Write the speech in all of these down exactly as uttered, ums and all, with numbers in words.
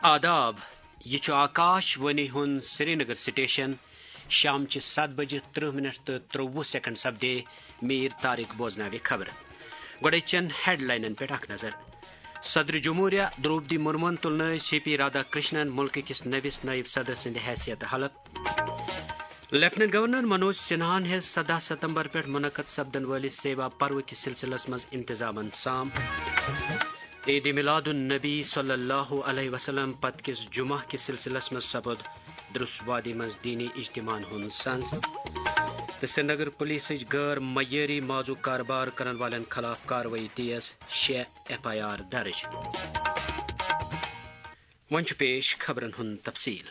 آداب، یہِ چھُ آکاش وانی ہُنٛد سرینگر سٹیشن۔ شام چہِ ستھ بجہِ ترٕہ منٹ تہٕ ترٛوٚوُہ سیکنڈ سپدے۔ میر طارق بوزناوِ خبرٕ۔ گۄڈٕ چٮ۪ن ہیڈلاینن پٮ۪ٹھ اکھ نظر۔ صدر جمہوریہ درٛوپدی مرموہن تُلنٲوۍ سی پی رادھا کرشنن مُلکہٕ کِس نٔوِس نٲیِب صدر سٕنٛدِ حیثیتہٕ حلف۔ لیفٹیننٹ گورنر منوج سنہاہن ہیٚژ سداہ ستمبر پٮ۪ٹھ منعقد سپدن وٲلِس سیوا پروٕ کِس سلسلس منٛز انتظامن سام۔ عید میلاد النبی صلی اللہ علیہ وسلم پتہٕ کِس جمعہ کِس سلسلس منٛز سپُد درس وادی منٛز دینی اجتماعن ہُنٛد سنز۔ تہٕ سرینگر پولیسٕچ غٲر معیٲری مازُک کاربار کرن والٮ۪ن خلاف کاروٲیی تیز، شےٚ ایف آئی آر درج۔ وۄنۍ چھُ پیش خبرن ہُنٛد تفصیل۔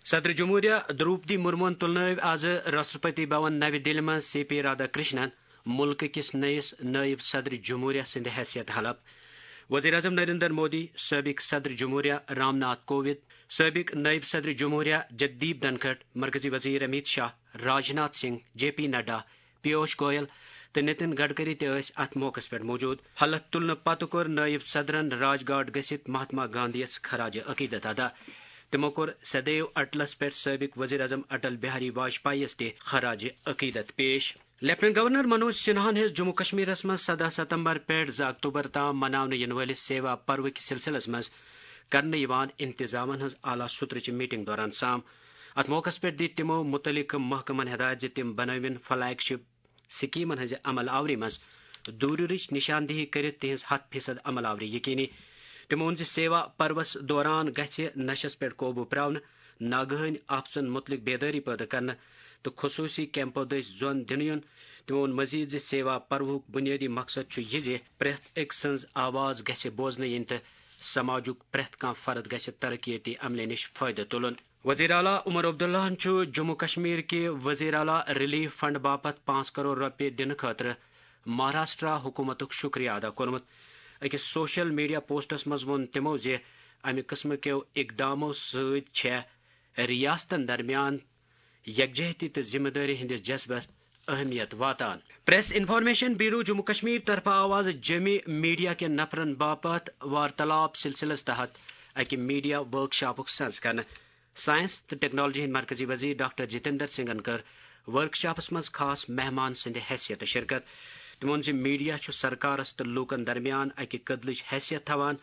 صدر جمہوریہ درٛوپدی مرموہن تُلنٲوۍ آز راشٹرپتی بھون نَوِ دِلہِ منٛز سی پی رادھا کرشنن مُلکہٕ کِس نٔیِس نٲیِب صدر جمہوریہ سٕنٛدِ حیثیت حلف۔ وزیر اعظم نریندر مودی، سٲبق صدر جمہوریہ رام ناتھ کووِند، سٲبق نٲیِب صدر جمہوریہ جگدیپ دھنکھڑ، مرکزی وزیر امیت شاہ، راجناتھ سنگھ، جے پی نڈا، پیوش گوئل تہٕ نتن گڈکری تہِ ٲسۍ اتھ موقعس پٮ۪ٹھ موجود۔ حلف تُلنہٕ پتہٕ کوٚر نٲیِب صدرن راج گھاٹ گٔژھِتھ مہاتما گاندھی یس خراج عقیدت ادا۔ تِمو کوٚر سدیو اٹلس پٮ۪ٹھ سٲبق وزیر اعظم اٹل بہاری واجپایی یس تہِ خراج عقیدت پیش۔ لیفٹیننٹ گورنر منوج سنہاہن ہیٚژ جموں کشمیرس منٛز سداہ ستمبر پٮ۪ٹھ زٕ اکتوبر تام مناونہٕ یِنہٕ وٲلِس سیوا پروٕ کِس سلسلس منٛز کرنہٕ یِوان انتظامن ہٕنٛز اعلیٰ سطرٕچہِ میٹنگ دوران سام۔ اتھ موقعس پٮ۪ٹھ دِتۍ تِمو مُتعلقہٕ محکمن ہدایت زِ تِم بنٲوِن فلیگ شپ سکیمن ہٕنٛزِ عمل آوری منٛز دوٗرِرٕچ نشاندہی کٔرِتھ تِہنٛز ہتھ فیصد عمل آوری یقینی۔ تِمو ووٚن زِ سیوا پروس دوران گژھِ نشس پٮ۪ٹھ قوبوٗ پراونہٕ، ناگہٲنۍ آفژن مُتعلق بیدٲری پٲدٕ کرنہٕ تہٕ خصوٗصی کیمپو دٔسۍ زۄن دِنہٕ یُن۔ تِمو ووٚن مزید زِ سیوا پروہُک بُنیٲدی مقصد چھُ یہِ زِ پرٛٮ۪تھ أکۍ سٕنٛز آواز گژھِ بوزنہٕ یِنۍ تہٕ سماجُک پرٛٮ۪تھ کانٛہہ فرد گژھِ ترقیتی عملہِ نِش فٲیدٕ تُلُن۔ وزیر اعلیٰ عمر عبداللہن چھُ جموں کشمیر کہِ وزیر اعلیٰ ریلیف فنڈ باپتھ پانٛژھ کرور رۄپیہِ دِنہٕ خٲطرٕ مہاراشٹرا حکومتُک شکریہ ادا کوٚرمُت۔ أکِس سوشل میڈیا پوسٹس منٛز ووٚن تِمو زِ امہِ قٕسمہٕ کیو اقدامو سۭتۍ چھےٚ ریاستن درمیان یکجہتی تہٕ ذمہ دٲری ہٕنٛدِس جذبس اہمیت واتان۔ Press information bureau Jammu Kashmir طرفہٕ آو آز جعمی میڈیا کٮ۪ن نفرن باپتھ وارتالاب سلسلس تحت اکہِ میڈیا ورکشاپُک سنز کرنہٕ۔ سائنس تہٕ ٹیکنالوجی ہٕنٛدۍ مرکزی وزیر ڈاکٹر جتیندر سنگھن کٔر ورکشاپس منٛز خاص مہمان سٕنٛدِ حیثیتہٕ شرکت۔ تٔمۍ ووٚن زِ میڈیا چھُ سرکارس تہٕ لوٗکن درمیان اکہِ کٔدلٕچ حیثیت تھاوان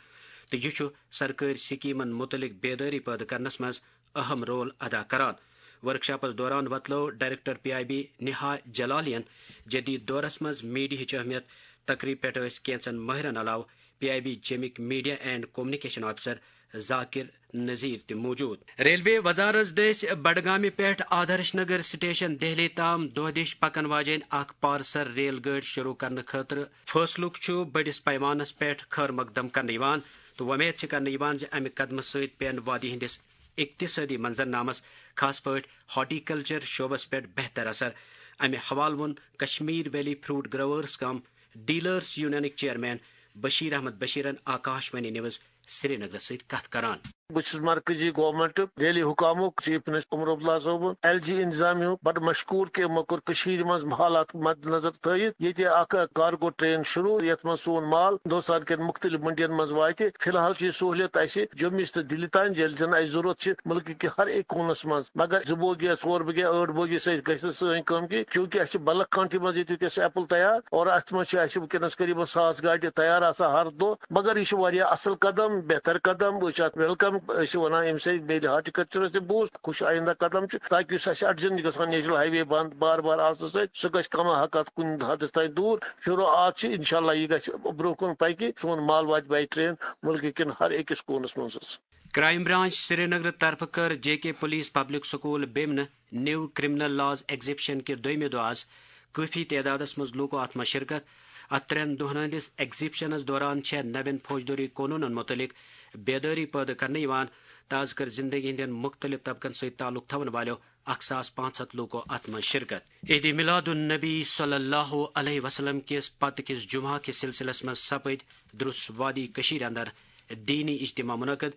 تہٕ یہِ چھُ سرکٲرۍ سکیمن مُتعلق بیدٲری پٲدٕ کرنس منٛز اہم رول ادا کران۔ ورکشاپس دوران وۄتلٲو ڈائریکٹر پی آئی بی نہا جلالین جدید دورس منٛز میڈیاہٕچ اہمیت۔ تقریب پٮ۪ٹھ ٲسۍ کینژن مٲہرن علاوٕ پی آئی بی جیمٕکۍ media and communication officer Zakir Nazir تہِ موجود۔ ریلوے وزارت دٔسۍ بڈگامہِ پٮ۪ٹھ آدرش نگر سٹیشن دہلی تام دۄہ دِش پکن واجیٚنۍ اکھ پارسل ریل گٲڑۍ شروع کرنہٕ خٲطرٕ فٲصلُک چھُ بٔڑِس پیمانس پٮ۪ٹھ خٲر مقدم کرنہٕ یِوان تہٕ وۄمید چھِ کرنہٕ یِوان زِ امہِ قدمہٕ سۭتۍ پٮ۪ن وادی ہٕنٛدِس اقتصٲدی منظرنامس، خاص پٲٹھۍ ہارٹیکلچر شعبس پٮ۪ٹھ بہتر اثر۔ امہِ حوالہٕ ووٚن Kashmir valley fruit growers cum dealers یونینٕکۍ چیئرمین بشیر احمد بشیرن آکاش وانی نیوز سرینگرس سۭتۍ کتھ کران۔ بہٕ چھُس مرکزی گورنمنٹ دہلی حکامُک چیف منسٹر عمر عبداللہ صٲبُن ایل جی انتظامیہ ہُک بڑٕ مشکور کہِ یِمو کوٚر کٔشیٖرِ منٛز حالات مد نظر تھٲیِتھ ییٚتہِ اکھ کارگو ٹرین شروع، یتھ منٛز سون مال ہندوستان کٮ۪ن مختلف منڈین منٛز واتہِ۔ فی الحال چھِ یہِ سہوٗلیت اَسہِ جوٚمِس تہٕ دِلہِ تام، ییٚلہِ زن اَسہِ ضروٗرت چھِ مُلکہٕ کہِ ہر أکۍ کوٗنس منٛز۔ مگر زٕ بوگی یا ژور بوگی یا ٲٹھ بوگی سۭتۍ گژھِ نہٕ سٲنۍ کٲم کینٛہہ، کیونکہ اَسہِ چھِ بلک کانٹی منٛز ییٚتہِ وٕنکیٚس ایپل تیار اور اَتھ منٛز چھِ اَسہِ وٕنکیٚنس قریباً ساس گاڑِ تیار آسان ہر دۄہ۔ مگر یہِ چھُ واریاہ اصل قدم، بہتر قدم، أسۍ چھِ اَتھ ویلکم، أسۍ چھِ وَنان اَمہِ سۭتۍ میلہِ ہارٹیکلچرس تہِ بوٗسٹ، خوش آیندہ قدم چھُ، تاکہ یُس اَسہِ اڑجن گژھان نیشنل ہائی وے بنٛد بار بار آسنہٕ سۭتۍ، سُہ گژھِ کما حق اَتھ کُنہِ حدس تام دوٗر۔ شروعات چھِ، انشاءاللہ یہِ گژھِ برونٛہہ کُن پکہِ، سون مال واتہِ بائی ٹرین مُلکہٕ کٮ۪ن ہر أکِس کوٗنس منٛز حظ۔ کرائم برانچ سرینگر طرفہٕ کٔر جے کے پولیس پبلک سکول بیمنہٕ نیو کرمنل لاز ایگزیبشن کہِ دوٚیمہِ دۄہ آز کٲفی تعدادس منٛز لوٗکو اتھ منٛز شرکت۔ اتھ ترٛٮ۪ن دۄہن ہٕنٛدِس ایگزیبشنس دوران چھےٚ نوٮ۪ن فوجدٲری قونوٗنن مُتعلق بیدٲری پٲدٕ کرنہٕ یِوان تہٕ از کٔر زندگی ہٕنٛدٮ۪ن مُختٔلِف طبقن سۭتۍ تعلق تھاون والٮ۪و اکھ ساس پانٛژھ ہتھ لوٗکو اتھ منٛز شرکت۔ عید میلاد النبی صلی اللہ علیہ وسلم کِس پتہٕ کِس جمعہ کِس سلسلس منٛز سپٕدۍ درُس وادی کٔشیٖرِ اندر دینی اجتماع منعقد۔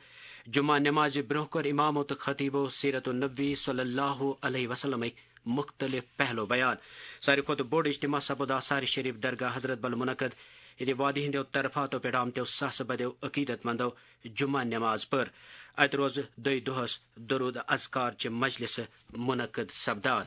جمعہ نمازِ برونٛہہ کوٚر امامو تہٕ خطیبو سیرت النبی صلی اللہ علیہ وسلمٕکۍ مختلف پہلو بیان۔ ساروی کھۄتہٕ بوٚڑ اجتماع سپُد آثار شریف درگاہ حضرت بل منعقد، ییٚتہِ وادی ہٕنٛدیو طرفاتو پٮ۪ٹھ آمتیو ساسہٕ بٔدیو عقیدت مندو جمعہ نماز پٔر۔ اتہِ روزٕ دۄیہِ دۄہس درود اذکار چہِ مجلسہٕ منعقد سپدان۔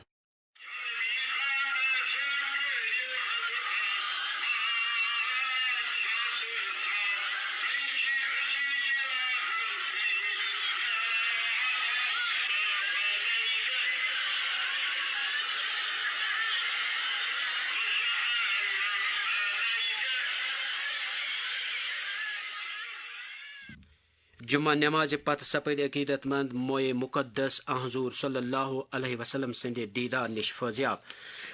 جمعہ نمازِ پتہٕ سپٕدۍ عقیدت مند موئے مقدس آن حضور صلی اللہ علیہ وسلم سٕنٛدِ دیدار نِش فٲضیاب۔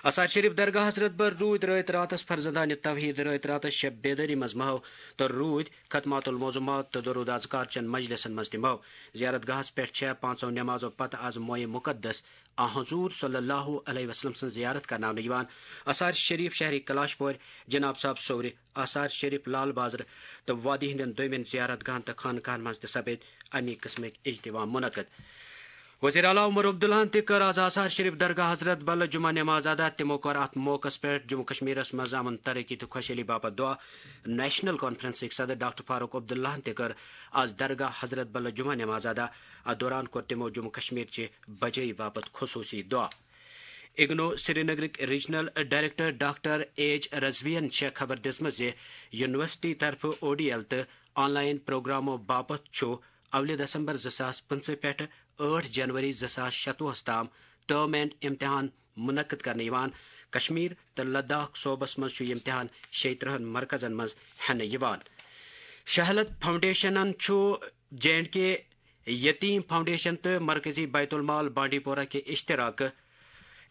آثار شریف درگاہ حضرت بل روٗدۍ رٲتۍ راتس فرزندانِ توحید، رٲتۍ راتس شب بیدٲری منٛز محو تہٕ روٗدۍ ختمات الموضوعات تہٕ درود اذکار چٮ۪ن مجلسن منٛز تہِ محو۔ زیارت گاہس پٮ۪ٹھ چھےٚ پانٛژو نمازو پتہٕ از موئے مقدس آن حضور صلی اللہ علیہ وسلم سٕنٛز زیارت کرناونہٕ یِوان۔ آثار شریف شہری کلاش پورِ، جناب صاحب صورِ، آثار شریف لال بازرٕ تہٕ وادی ہٕنٛدٮ۪ن دوٚیمٮ۪ن زیارت گاہن تہٕ خانقاہن منٛز تہِ سپٕدۍ اَمی قٕسمٕکۍ اجتماع منعقد۔ وزیر اعلیٰ عمر عبداللہن تہِ کٔر از آثار شریف درگاہ حضرت بل جمعہ نماز ادا۔ تِمو کوٚر اتھ موقعس پٮ۪ٹھ جموں کشمیرس منٛز امن، ترقی تہٕ خۄشحٲلی باپتھ دعا۔ نیشنل کانفرنسٕکۍ صدر ڈاکٹر فاروق عبداللہن تہِ کٔر از درگاہ حضرت بل جمعہ نماز ادا۔ اتھ دوران کوٚر تِمو جموں کشمیر چہِ بجٲیی باپتھ خصوصی دعا۔ اگنو سرینگرٕکۍ ریجنل ڈائریکٹر ڈاکٹر ایچ رضویَن چھےٚ خبر دِژمٕژ زِ یونیورسٹی طرفہٕ او ڈی ایل تہٕ آن لائن پروگرامو باپتھ چھُ اولہِ دسمبر زٕ ساس پٕنٛژٕہ پٮ۪ٹھٕ ٲٹھ جنوری زٕ ساس شتوُہس تام ٹرم اینڈ امتحان منعقد کرنہٕ یِوان۔ کشمیر تہٕ لداخ صوبس منٛز چھُ یہِ امتحان شیٚیہِ ترٕٛہن مرکزن منٛز ہٮ۪نہٕ یِوان۔ شہلت فاؤنڈیشنن چھُ جے اینڈ کے یتیم فاؤنڈیشن تہٕ مرکزی بیت المال بانڈی پورہ کہِ اشتراکہٕ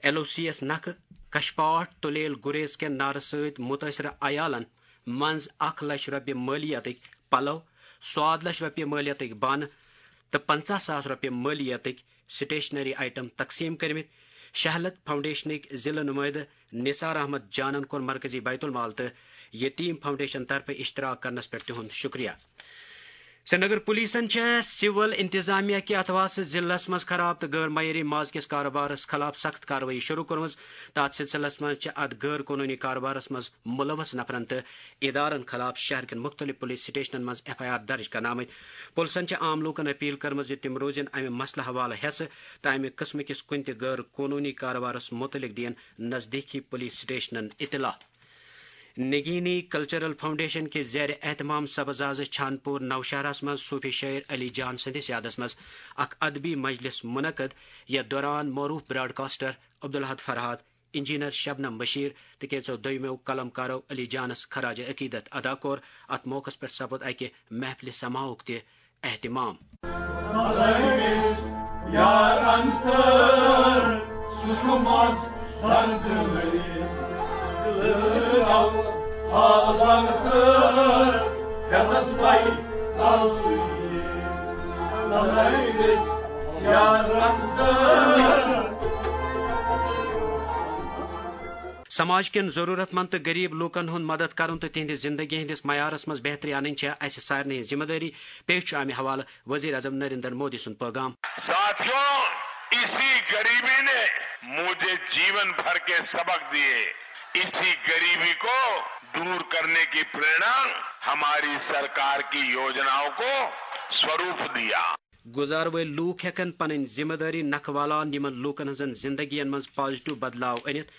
ایل او سی یَس نکھٕ کشپاٹھ تُلیل گُریز کٮ۪ن نارٕ سۭتۍ مُتٲثرٕ عیالَن منٛز اکھ لچھ رۄپیہِ مٲلیتٕکۍ پلو، سواد لچھ رۄپیہِ مٲلیتٕکۍ بانہٕ تہٕ پنٛژاہ ساس رۄپیہِ مٲلیتٕکۍ سٹیشنری آئٹم تقسیٖم کٔرمٕتۍ۔ شہلت فاؤنڈیشنٕکۍ ضلعہٕ نُمٲیدٕ نثار احمد جانن کوٚر مرکزی بیت المال تہٕ یتیم فاؤنڈیشن طرفہٕ اشتراک کرنس پٮ۪ٹھ تِہُنٛد شکریہ۔ سرینگر پولیسن چھےٚ سول انتظامیہ کہِ اتھواسہٕ ضلعس منٛز خراب تہٕ غٲر معیٲری ماز کِس کارٕبارس خلاف سخت کاروٲیی شروع کٔرمٕژ۔ تتھ سلسلس منٛز چھِ اتھ غٲر قونوٗنی کارٕبارس منٛز ملوث نفرن تہٕ ادارن خلاف شہر کٮ۪ن مُختٔلِف پُلیٖس سٹیشنن منٛز ایف آئی آر درٕج کرنہٕ آمٕتۍ۔ پُلسن چھِ عام لوٗکن اپیل کٔرمٕژ زِ تِم روزن امہِ مسلہٕ حوالہٕ ہٮ۪سہٕ تہٕ امہِ قٕسمہٕ کِس کُنہِ تہِ غٲر قونوٗنی کارٕبارس مُتعلق دِیِن نزدیٖکی پُلیٖس سٹیشنن اطلاع۔ نگینی کلچرل فاؤنڈیشن کہِ زیر اہتمام سبز آز چھانپور نوشہرس منٛز صوفی شٲعر علی جان سٕنٛدِس یادس منٛز اکھ ادبی مجلس منعقد، یتھ دوران معروف براڈکاسٹر عبدالحد فرحات، انجینئر شبنم بشیر تہٕ کینٛژو دوٚیمو قلم کارو علی جانس خراج عقیدت ادا کوٚر۔ اتھ موقعس پٮ۪ٹھ سپُد اکہِ محفلہِ سماعُک تہِ اہتمام۔ یار انتر سُہ چھُ منٛز درد ؤلِتھ۔ حال انتر کتس پائی تل سُہ یار انتر۔ سماج کٮ۪ن ضروٗرت مند تہٕ غریب لوٗکن ہُنٛد مدد کرُن تہٕ تِہنٛدِ زندگی ہٕنٛدِس معیارس منٛز بہتری انٕنۍ چھےٚ اسہِ سارنٕے ہٕنٛز ذمہٕ دٲری۔ پیش چھُ امہِ حوالہٕ وزیر اعظم نریندر مودی سُنٛد پیغام۔ ساتھیوں، اسی غریبی نے مجھے جیون بھر کے سبق دیے۔ اسی غریبی کو دور کرنے کی प्रेरणा हमारी सरकार की योजनाओं को स्वरूप दिया۔ گُزار وٲلۍ لوٗکھ ہٮ۪کن پنٕنۍ ذمہٕ دٲری نکھٕ والان یِمن لوٗکن ہٕنٛزن زندگین منٛز پازیٹیو بدلاو أنِتھ۔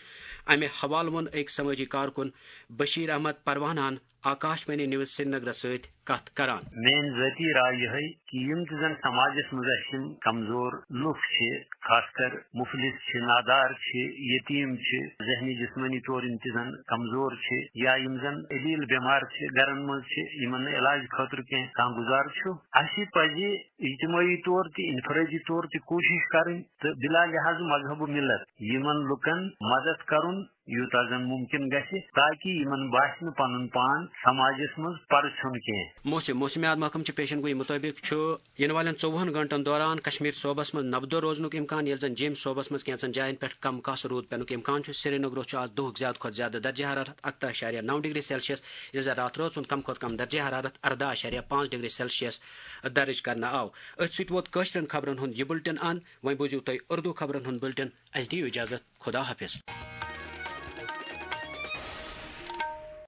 امہِ حوالہٕ ووٚن أکۍ سمٲجی کارکُن بشیر احمد پروانہن آکاش وانی نیوز سرینگرس سۭتۍ کتھ کران۔ میٲنۍ ذٲتی راے یِہے کہِ یِم تہِ زن سماجس منٛز اسہِ یِم کمزور لُکھ چھِ، خاص کر مفلس چھِ، نادار چھِ، یتیٖم چھِ، ذہنی جسمٲنی طور یِم تہِ زن کمزور چھِ یا یِم زن علیل بٮ۪مار چھِ، گرن منٛز چھِ، یِمن نہٕ علاج خٲطرٕ کینٛہہ کانٛہہ گُزار چھُ، اسہِ پزِ اجتمٲعی طور تہِ، انفرٲدی طور تہِ کوٗشش کرٕنۍ تہٕ بلا لحاظ مذہب و ملت یِمن لُکن مدد کرُن۔ یوٗتاہ زن مُمکِن گژھِ، تاکہِ یِمن باسہِ نہٕ پنُن پان سماجس منٛز پرٕ ژھیوٚن کینٛہہ۔ موسم۔ موسمیات محکمہٕ چہِ پیشن گویی مُطٲبِق چھُ یِنہٕ والٮ۪ن ژوٚوُہن گٲنٛٹن دوران کشمیر صوبس منٛز نبدو روزنُک امکان، ییٚلہِ زن جیٚمۍ صوبس منٛز کینٛژن جاین پٮ۪ٹھ کم کس روٗد پٮ۪نُک امکان چھُ۔ سرینگرُک چھُ آز دُہُک زیادٕ کھۄتہٕ زیادٕ درجہ حرارت اَکترٕہ اَشاریہ نَو ڈگری سیلسیس، ییٚلہِ زن راتھ رٲژ ہُنٛد کم کھۄتہٕ کم درجہ حرارت اَرداہ اَشاریہ پانٛژھ ڈگری سیلسیس درج کرنہٕ آو۔ أتھۍ سۭتۍ ووت کٲشرٮ۪ن خبرن ہُنٛد یہِ بُلٹن اند۔ وۄنۍ بوٗزِو تُہۍ اردو خبرن ہُنٛد بُلٹن۔ اَسہِ دِیِو اجازت۔ خدا حافظ۔